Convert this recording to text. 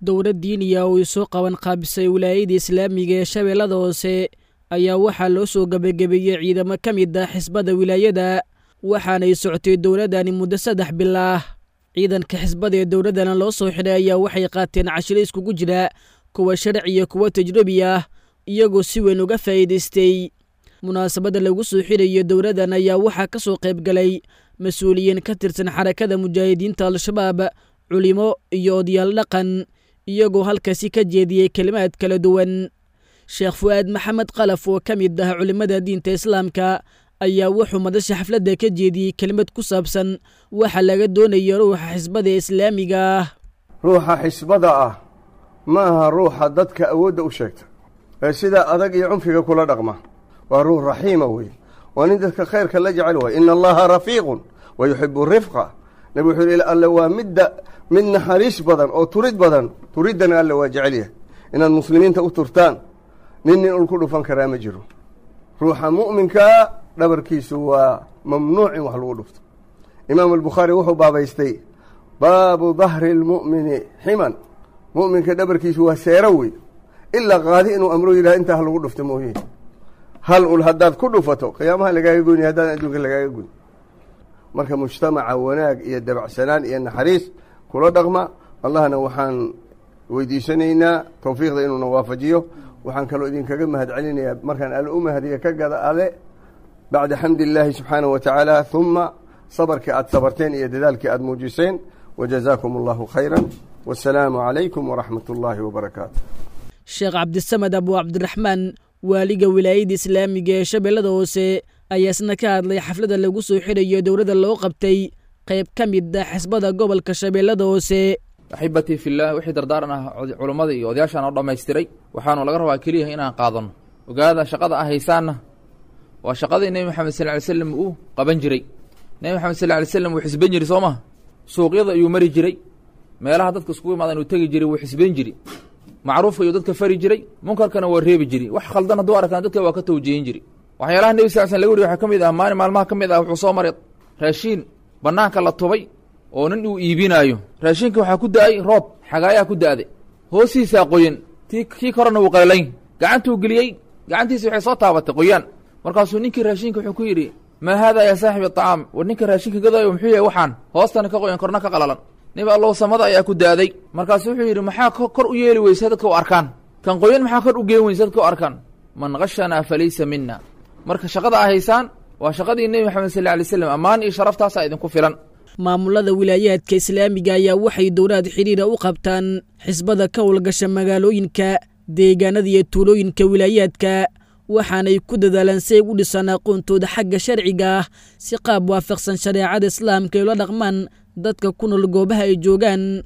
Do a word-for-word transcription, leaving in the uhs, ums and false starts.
Dowlad diiniya oo ay soo qaban qaabisay wilaayada islaamiga ee Shabeellada Hoose ayaa waxaa loo soo gebagabeeyey ciidamo ka mid ah xisbada wilaayada, waxaanay socotay dowladdani muddo saddex bil ah. Ciidanka xisbada ee dowladdana loo soo xidhay ayaa waxay qaateen cashiro iskugu jira kuwa sharci iyo kuwa tajrubi ah, iyagoo si weyn uga faa'iidaystay. Munaasabadda lagu soo xidhayo dowladdan ayaa waxaa ka soo qayb galay mas-uuliyiin ka tirsan Xarakada Mujaahidiinta Al-Shabaab, culimo iyo odayaal dhaqan, iyagoo halkaasi ka jeediyey kelimaad kala duwan. Sheekh Fu'aad Maxamed Qalaf oo ka mid ah culimmada diinta islaamka ayaa wuxuu madasha xafladda ka jeediyey kelimad ku saabsan waxa laga doonayo ruuxa xisbada islaamiga ah. Ruuxa xisbada ah ma aha ruuxa dadka awoodda u sheegta ee sida adag iyo cunfiga kula dhaqma. Waa ruux raxiima wey, waa nin dadka khayrka la jecel waay. Ina Allaha rafiiqun wa yuxibu rifqa. Nabi wuxuu yihi, Alle waa midda mid naxariis badan oo turid badan, turiddana Alle waa jecel yahay. Inaad muslimiinta u turtaan, nin nin ul ku dhufan karaa ma jiro. Ruuxa mu'minkaa dhabarkiisu waa mamnuuc in wax lagu dhufto. Imaam Albukhaari wuxuu baabaystay baabu dahri lmu'mini ximan, mu'minka dhabarkiisu waa seero wey, ilaa qaadi inuu amro yidhaha intaa ha lagu dhufto mooye. Hal ul haddaad ku dhufato, qiyaamaha lagaaga goyni, haddaan adduunka lagaaga goyn. Marka mujtamaca wanaag iyo dabacsanaan iyo naxariis kula dhaqma. Allahna waxaan weydiisanaynaa tawfiiqda inuuna waafajiyo. Waxaan kaloo idinkaga mahad celinayaa, markaan Alle u mahadiya ka gada ale, bacda xamdi illaahi subxaanahu wa tacaala, huma sabarkii aad sabarteen iyo dadaalkii aad muujiseen. Wajazaakum Allahu khayra, wasalaamu calaykum waraxmat ullaahi wabarakaatu. Sheekh Cabdisamed Abu Cabdiraxmaan, waaliga wilaayada islaamiga ee Shabeellada Hoose, ayaa isna ka hadlay xafladda lagu soo xidhayo dowladda loo qabtay qayb ka mid ah xisbada gobolka Shabeellada Hoose. Axibatii fillaah, wixii dardaaran ah culummada iyo odayaashaan oo dhammaystiray, waxaanu laga rabaa keliya inaan qaadanno. Ogaada, shaqada ah haysaanna waa shaqadii Nebi Maxamed sal ly slam uu qaban jiray. Nebi Maxamed sal ly slam wuu xisban jiray, soo maha? Suuqyada ayuu mari jiray, meelaha dadka iskugu imaadaan uu tegi jiray, wuu xisban jiray, macruufka ayuu dadka fari jiray, munkarkana waa reebi jiray. Wax khaldan hadduu arkaan, dadka waa ka tawjihin jiray. Waxyaalaha Nebi sal slam laga wariy waxaa ka mid ah, maalin maalmaha ka mid ah wuxuu soo maray raashiin bannaanka la tubay oo nin uu iibinaayo. Raashinka waxaa ku da'ay roob xagaayaa ku da'day, hoostiisaa qoyan, ti kii korena wuu qalalayn. Gacantuu geliyey, gacantiisi waxay soo taabatay qoyaan. Markaasuu ninkii raashinka wuxuu ku yidhi: "Maa haada yaa saaxibi acaam?" War ninka raashinka gadaayo, muxuu yahay waxaan hoostana ka qoyan, korna ka qalalan? "Nebi Allow, samada ayaa ku da'day." Markaasuu wuxuu yidhi: "Maxaa kor u yeeli weysa dadka u arkaan? Kan qoyan maxaa kor u geen weysa dadka u arkaan? Man khashanaa falaysa mina." Marka shaqada a haysaan waa shaqadii Nebi Maxamed sal ly slam, ammaan iyo sharaftaasaa idinku filan. Maamulada wilaayaadka islaamiga ayaa waxay dowlaad xidhiira u qabtaan xisbada ka howlgasha magaalooyinka, deegaanada iyo tuulooyinka wilaayaadka, waxaanay ku dadaalaan si ay u dhisaan aqoontooda xagga sharciga ah, si qaab waafaqsan shareecada islaamka ay ula dhaqmaan dadka ku nool goobaha ay joogaan.